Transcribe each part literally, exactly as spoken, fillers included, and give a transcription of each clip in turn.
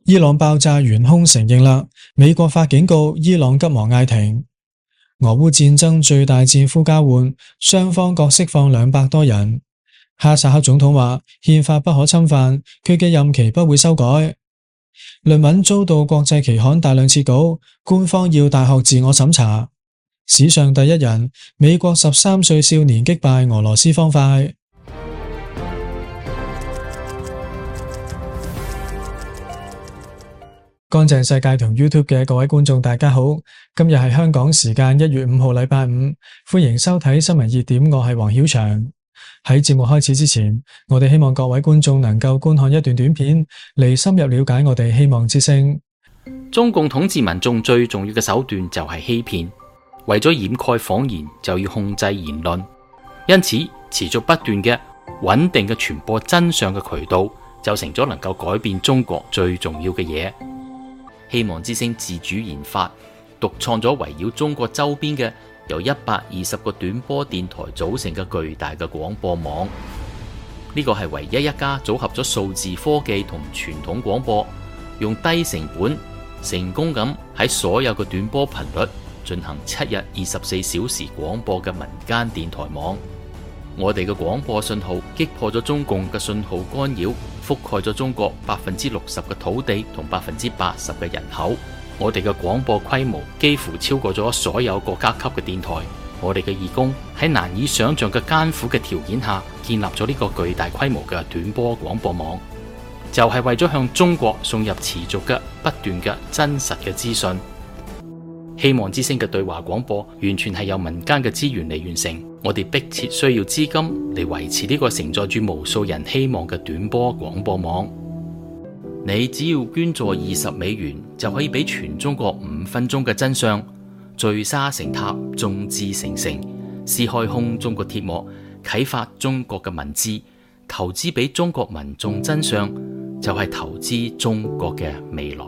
伊朗爆炸元兇承認啦，美國發警告，伊朗急忙嗌停。俄烏戰爭最大戰俘交換，雙方各釋放兩百多人。哈薩克總統話憲法不可侵犯，佢嘅任期不會修改。論文遭到國際期刊大量撤稿，官方要大學自我審查。史上第一人，美國十三歲少年擊敗俄羅斯方塊。乾淨世界同 YouTube 嘅各位觀眾大家好，今日係香港時間一月五號禮拜五，歡迎收睇新聞熱點，我係黃曉翔。喺節目開始之前，我哋希望各位觀眾能夠觀看一段短片，嚟深入了解我哋希望之聲。中共統治民眾最重要嘅手段就係欺騙，為咗掩蓋謊言就要控制言論，因此持續不斷嘅穩定嘅傳播真相嘅渠道就成咗能夠改變中國最重要嘅嘢。希望之聲自主研發獨創咗圍繞中國周邊嘅由一百二十個短波電台組成嘅巨大嘅廣播網，呢個係唯一一家組合咗數字科技同傳統廣播，用低成本成功咁喺所有嘅短波頻率進行七日二十四小時廣播嘅民間電台網。我哋嘅廣播信號擊破咗中共嘅信號干擾，覆蓋咗中國百分之六十嘅土地同百分之八十嘅人口。我哋嘅廣播規模幾乎超過咗所有國家級嘅電台。我哋嘅義工喺難以想象嘅艱苦嘅條件下，建立咗呢個巨大規模嘅短波廣播網，就係為咗向中國送入持續嘅不斷嘅真實嘅資訊。希望之聲嘅對話廣播完全係由民間嘅資源嚟完成，我哋迫切需要資金嚟維持呢個承載住無數人希望嘅短波廣播網。你只要捐助二十美元，就可以俾全中國五分鐘嘅真相，聚沙成塔，眾志成城，撕開空中國鐵幕，啟發中國嘅文字，投資俾中國民眾真相，就係投資中國嘅未來。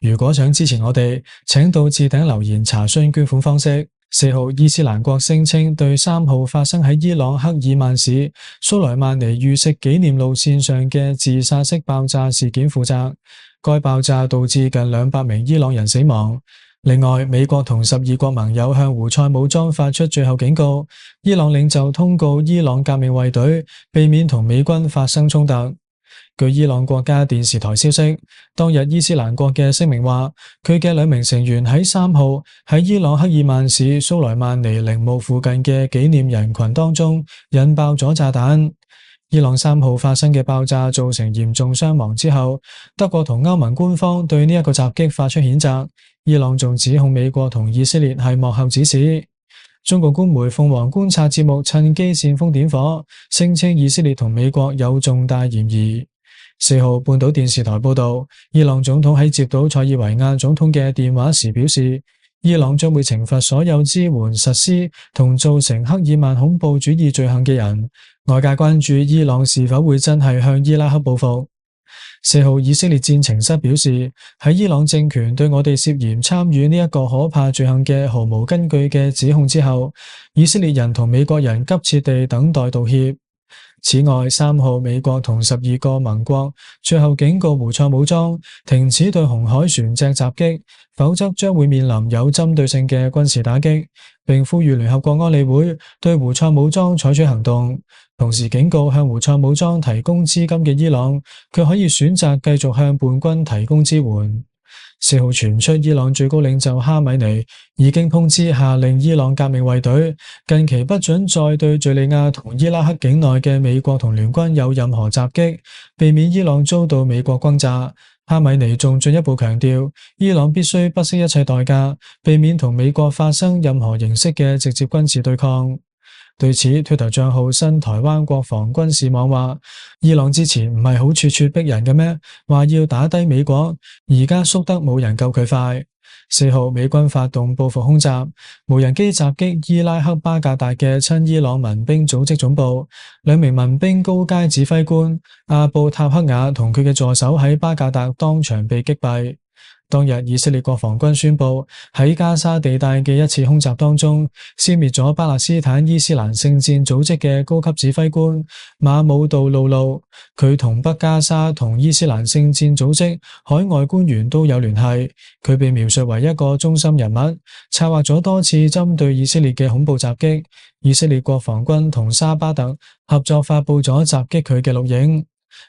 如果想支持我哋，請到置頂留言查詢捐款方式。四號伊斯蘭國聲稱對三號發生喺伊朗克爾曼市蘇萊曼尼遇刺紀念路線上嘅自殺式爆炸事件負責。該爆炸導致近兩百名伊朗人死亡。另外，美國同十二國盟友向胡塞武裝發出最後警告，伊朗領袖通告伊朗革命衛隊避免同美軍發生衝突。據伊朗國家電視台消息，當日伊斯蘭國嘅聲明話，佢嘅兩名成員喺三號喺伊朗克爾曼市蘇萊曼尼陵墓附近嘅紀念人群當中引爆咗炸彈。伊朗三號發生嘅爆炸造成嚴重傷亡之後，德國同歐盟官方對呢一個襲擊發出譴責。伊朗仲指控美國同以色列係幕後指使。中國官媒鳳凰觀察節目趁機煽風點火，聲稱以色列同美國有重大嫌疑。四號半島電視台報道，伊朗總統喺接到塞爾維亞總統嘅電話時表示，伊朗將會懲罰所有支援實施同造成克爾曼恐怖主義罪行嘅人。外界關注伊朗是否會真係向伊拉克報復。四號以色列戰情室表示，喺伊朗政權對我哋涉嫌參與呢一個可怕罪行嘅毫無根據嘅指控之後，以色列人同美國人急切地等待道歉。此外，三號美國同十二個盟國最後警告胡塞武裝停止對紅海船隻襲擊，否則將會面臨有針對性嘅軍事打擊，並呼籲聯合國安理會對胡塞武裝採取行動。同時警告向胡塞武裝提供資金嘅伊朗，佢可以選擇繼續向叛軍提供支援。四號傳出伊朗最高領袖哈米尼已經通知下令伊朗革命衛隊近期不准再對敘利亞同伊拉克境內嘅美國同聯軍有任何襲擊，避免伊朗遭到美國轟炸。哈米尼仲進一步強調，伊朗必須不惜一切代價，避免同美國發生任何形式嘅直接軍事對抗。對此 Twitter 賬號新台灣國防軍事網話，伊朗之前唔係好咄咄逼人嘅咩？話要打低美國，而家縮得冇人夠佢快。四號美軍發動報復空襲，無人機襲擊伊拉克巴格達嘅親伊朗民兵組織總部，兩名民兵高階指揮官阿布塔克雅同佢嘅助手喺巴格達當場被擊斃。當日以色列國防軍宣布喺加沙地帶嘅一次空襲當中，消滅咗巴勒斯坦伊斯蘭聖戰組織嘅高級指揮官馬姆杜魯魯。佢同北加沙同伊斯蘭聖戰組織海外官員都有聯繫。佢被描述為一個中心人物，策劃咗多次針對以色列嘅恐怖襲擊。以色列國防軍同沙巴特合作發佈咗襲擊佢嘅錄影。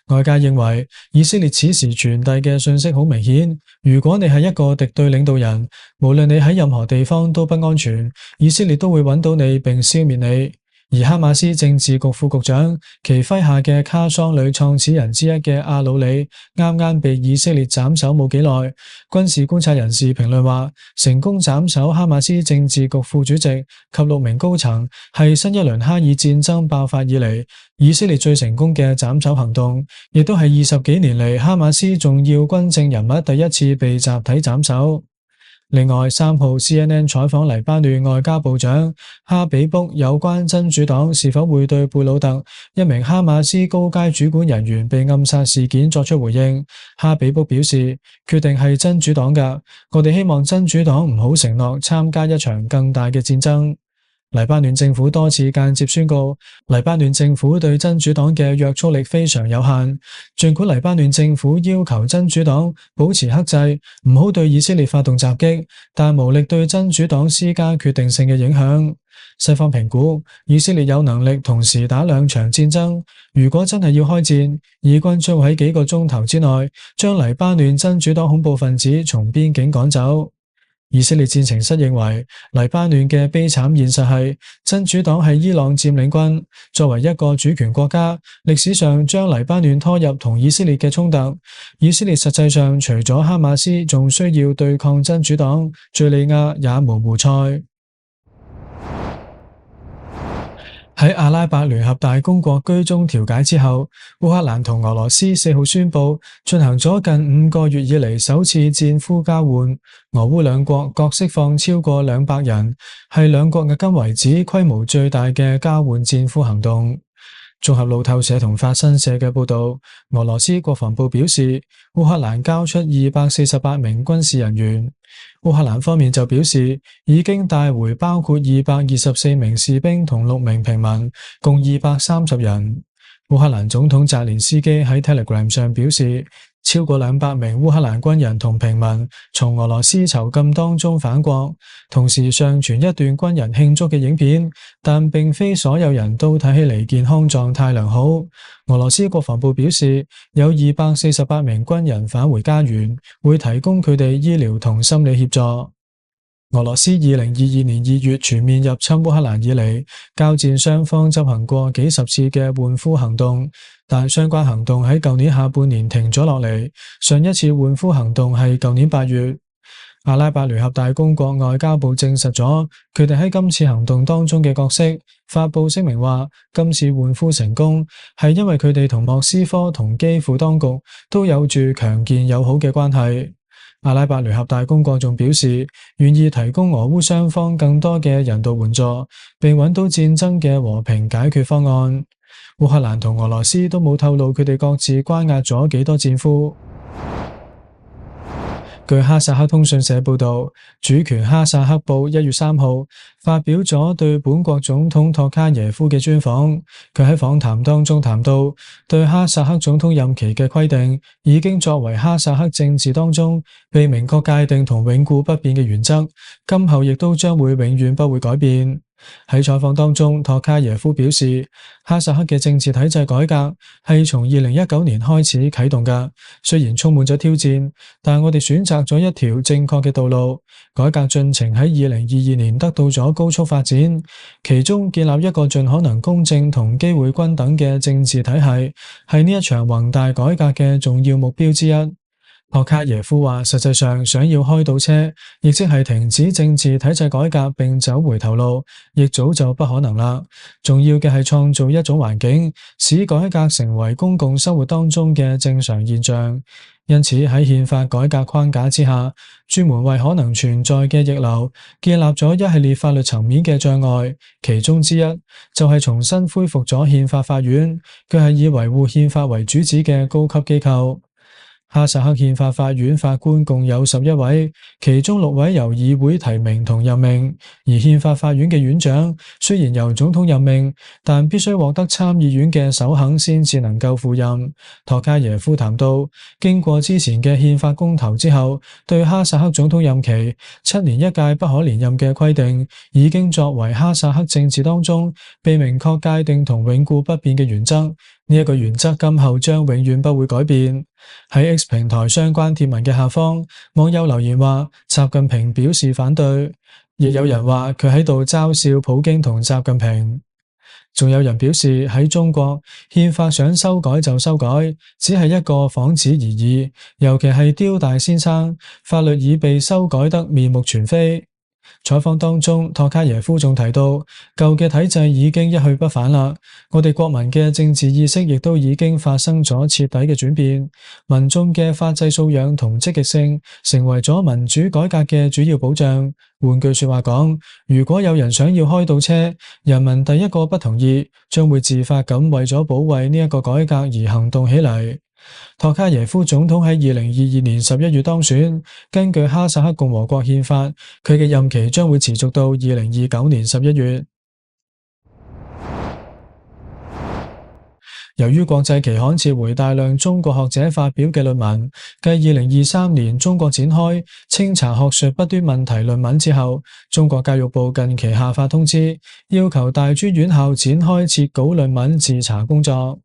外界認為以色列此時傳遞嘅信息好明顯，如果你係一個敵對領導人，無論你喺任何地方都不安全，以色列都會揾到你並消滅你。而哈馬斯政治局副局長其麾下嘅卡桑旅創始人之一嘅阿魯里啱啱被以色列斬首冇幾耐。軍事觀察人士評論話，成功斬首哈馬斯政治局副主席及六名高層係新一輪哈爾戰爭爆發以嚟以色列最成功嘅斬首行動，亦都係二十幾年嚟哈馬斯重要軍政人物第一次被集體斬首。另外，三號 C N N 採訪黎巴嫩外交部長哈比卜有關真主黨是否會對貝魯特一名哈馬斯高階主管人員被暗殺事件作出回應。哈比卜表示，決定係真主黨㗎，我哋希望真主黨唔好承諾參加一場更大嘅戰爭。黎巴嫩政府多次間接宣告，黎巴嫩政府對真主黨嘅約束力非常有限。儘管黎巴嫩政府要求真主黨保持克制，唔好對以色列發動襲擊，但無力對真主黨施加決定性嘅影響。西方評估，以色列有能力同時打兩場戰爭。如果真係要開戰，以軍將會喺幾個鐘頭之內將黎巴嫩真主黨恐怖分子從邊境趕走。以色列戰情室認為，黎巴嫩嘅悲慘現實係真主黨係伊朗佔領軍，作為一個主權國家，歷史上將黎巴嫩拖入同以色列嘅衝突。以色列實際上除咗哈馬斯，仲需要對抗真主黨、敘利亞也無胡塞。喺阿拉伯聯合大公國居中調解之後，烏克蘭同俄羅斯四號宣布進行咗近五個月以嚟首次戰俘交換，俄烏兩國各釋放超過兩百人，係兩國迄今為止規模最大嘅交換戰俘行動。綜合路透社同法新社嘅報道，俄羅斯國防部表示，烏克蘭交出二百四十八名軍事人員。烏克蘭方面就表示，已經帶回包括二百二十四名士兵同六名平民，共二百三十人。烏克蘭總統澤連斯基喺 Telegram 上表示，超過兩百名烏克蘭軍人同平民從俄羅斯囚禁當中返國，同時上傳一段軍人慶祝嘅影片，但並非所有人都睇起嚟健康狀態良好。俄羅斯國防部表示，有二百四十八名軍人返回家園，會提供佢哋醫療同心理協助。俄羅斯二零二二年二月全面入侵烏克蘭以嚟，交戰雙方執行過幾十次嘅換俘行動，但相關行動喺舊年下半年停咗落嚟。上一次換俘行動係舊年八月。阿拉伯聯合大公國外交部證實咗佢哋喺今次行動當中嘅角色，發佈聲明話，今次換俘成功係因為佢哋同莫斯科同基輔當局都有住強健友好嘅關係。阿拉伯聯合大公國仲表示，願意提供俄烏雙方更多嘅人道援助，並揾到戰爭嘅和平解決方案。烏克蘭同俄羅斯都冇透露佢哋各自關押咗幾多戰俘。據哈薩克通訊社報道，主權哈薩克報一月三號發表咗對本國總統托卡耶夫嘅專訪。佢喺訪談當中談到，對哈薩克總統任期嘅規定已經作為哈薩克政治當中被明確界定同永固不變嘅原則，今後亦都將會永遠不會改變。喺採訪當中，托卡耶夫表示，哈薩克嘅政治體制改革係從二零一九年開始啟動㗎，雖然充滿咗挑戰，但我哋選擇咗一條正確嘅道路。改革進程喺二零二二年得到咗高速發展，其中建立一個盡可能公正同機會均等嘅政治體系，係呢一場宏大改革嘅重要目標之一。托卡耶夫話，實際上想要開倒車，亦即係停止政治體制改革並走回頭路，亦早就不可能啦。重要嘅係創造一種環境，使改革成為公共生活當中嘅正常現象。因此喺憲法改革框架之下，專門為可能存在嘅逆流建立咗一系列法律層面嘅障礙，其中之一就係重新恢復咗憲法法院，佢係以維護憲法為主旨嘅高級機構。哈薩克憲法法院法官共有十一位，其中六位由議會提名同任命。而憲法法院嘅院長雖然由總統任命，但必須獲得參議院嘅首肯先至能夠赴任。托卡耶夫談到，經過之前嘅憲法公投之後，對哈薩克總統任期七年一屆不可連任嘅規定，已經作為哈薩克政治當中被明確界定同永固不變嘅原則。呢一個原則今後將永遠不會改變。喺 X 平台相關貼文嘅下方，網友留言話習近平表示反對，亦有人話佢喺度嘲笑普京同習近平。仲有人表示喺中國憲法想修改就修改，只係一個幌子而已。尤其係刁大先生，法律已被修改得面目全非。採訪當中，托卡耶夫仲提到，舊嘅體制已經一去不返啦，我哋國民嘅政治意識亦都已經發生咗徹底嘅轉變，民眾嘅法制素養同積極性成為咗民主改革嘅主要保障。換句說話講，如果有人想要開倒車，人民第一個不同意，將會自發咁為咗保衛呢一個改革而行動起嚟。托卡耶夫總統喺二零二二年十一月當選，根據哈薩克共和國憲法，佢嘅任期將會持續到二零二九年十一月。由於國際期刊撤回大量中國學者發表嘅論文，繼二零二三年中國展開清查學術不端問題論文之後，中國教育部近期下發通知，要求大專院校展開撤稿論文自查工作。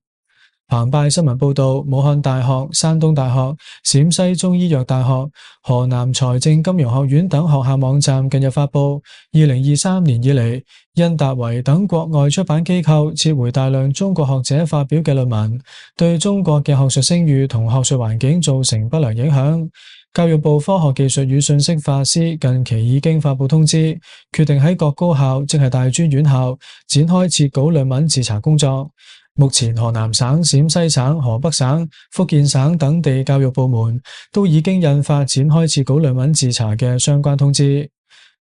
澎湃新聞報道，武漢大學、山東大學、陝西中醫藥大學、河南財政金融學院等學校網站近日發布，二零二三年以嚟，因達維等國外出版機構撤回大量中國學者發表嘅論文，對中國嘅學術聲譽同學術環境造成不良影響。教育部科學技術與信息化司近期已經發布通知，決定喺各高校，即係大專院校，展開撤稿論文自查工作。目前河南省、陝西省、河北省、福建省等地教育部門都已經印發展開撤稿論文自查嘅相關通知。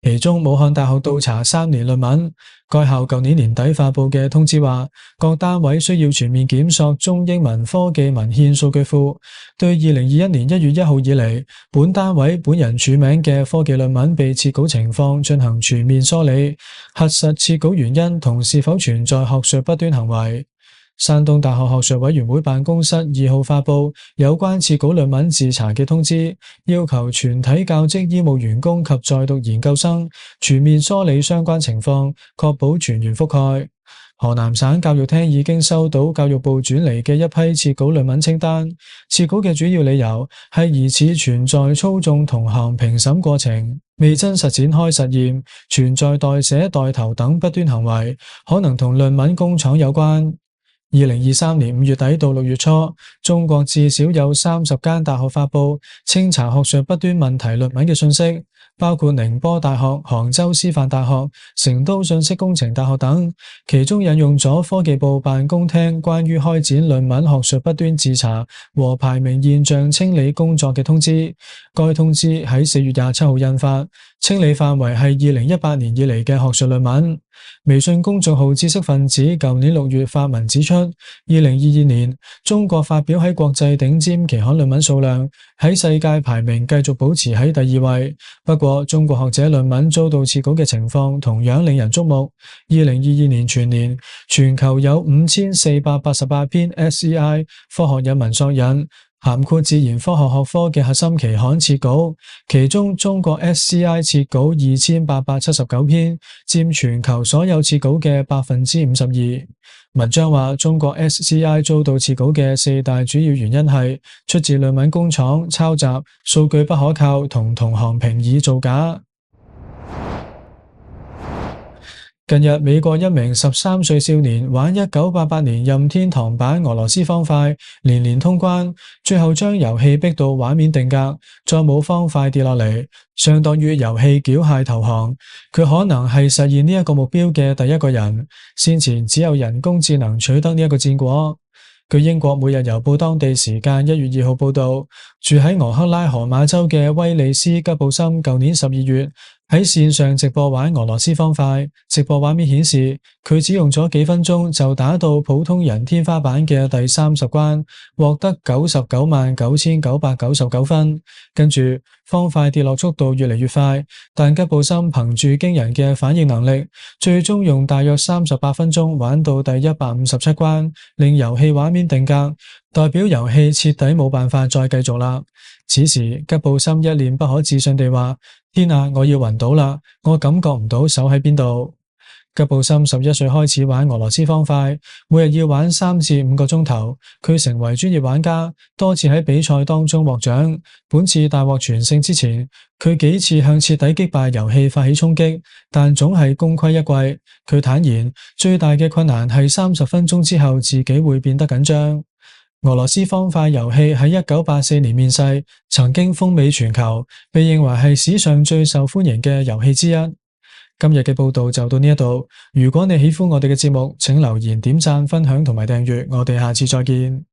其中武漢大學倒查三年論文，該校舊年年底發布嘅通知話，各單位需要全面檢索中英文科技文獻數據庫，對二零二一年一月一號以嚟本單位本人署名嘅科技論文被撤稿情況進行全面梳理，核實撤稿原因同是否存在學術不端行為。山東大學學術委員會辦公室二號發布有關撤稿論文自查嘅通知，要求全體教職醫務員工及在讀研究生全面梳理相關情況，確保全員覆蓋。河南省教育廳已經收到教育部轉嚟嘅一批撤稿論文清單，撤稿嘅主要理由係疑似存在操縱同行評審過程，未真實展開實驗，存在代寫代投等不端行為，可能同論文工廠有關。二零二三年五月底到六月初，中國至少有三十間大學發布清查學術不端問題論文嘅信息，包括寧波大學、杭州師範大學、成都信息工程大學等。其中引用咗科技部辦公廳關於開展論文學術不端自查和排名現象清理工作嘅通知。該通知喺四月廿七號印發，清理範圍係二零一八年以嚟嘅學術論文。微信公眾號知識分子舊年六月發文指出，二零二二年中國發表喺國際頂尖期刊論文數量喺世界排名繼續保持喺第二位。不過，中國學者論文遭到撤稿嘅情況同樣令人矚目。二零二二年全年，全球有五千四百八十八篇 S E I 科學引文索引，涵括自然科學學科嘅核心期刊撤稿，其中中國 S C I 撤稿二千八百七十九篇，佔全球所有撤稿嘅百分之五十二。文章話，中國 S C I 遭到撤稿嘅四大主要原因係出自論文工廠、抄襲、數據不可靠同同行評議造假。近日，美國一名十三歲少年玩一九八八年任天堂版俄羅斯方塊，連連通關，最後將遊戲逼到畫面定格，再冇方塊跌落嚟，相當於遊戲繳械投降。佢可能係實現呢一個目標嘅第一個人，先前只有人工智能取得呢一個戰果。據英國每日郵報當地時間一月二號報道，住喺俄克拉荷馬州嘅威利斯吉布森舊年十二月喺線上直播玩俄羅斯方塊，直播畫面顯示佢只用咗幾分鐘就打到普通人天花板嘅第三十關，獲得九十九萬九千九百九十九分。跟住方塊跌落速度越嚟越快，但吉布森憑住驚人嘅反應能力，最終用大約三十八分鐘玩到第一百五十七關，令遊戲畫面定格，代表遊戲徹底冇辦法再繼續啦。此時吉布森一臉不可置信地話：天啊，我要暈倒啦！我感覺唔到手喺邊度。吉布森十一歲開始玩俄羅斯方塊，每日要玩三至五個鐘頭。佢成為專業玩家，多次喺比賽當中獲獎。本次大獲全勝之前，佢幾次向徹底擊敗遊戲發起衝擊，但總係功虧一簣。佢坦言，最大嘅困難係三十分鐘之後自己會變得緊張。俄羅斯方塊遊戲喺一九八四年面世，曾經風靡全球，被認為係史上最受歡迎嘅遊戲之一。今日嘅報道就到呢一度，如果你喜歡我哋嘅節目，請留言、點讚、分享同埋訂閱，我哋下次再見。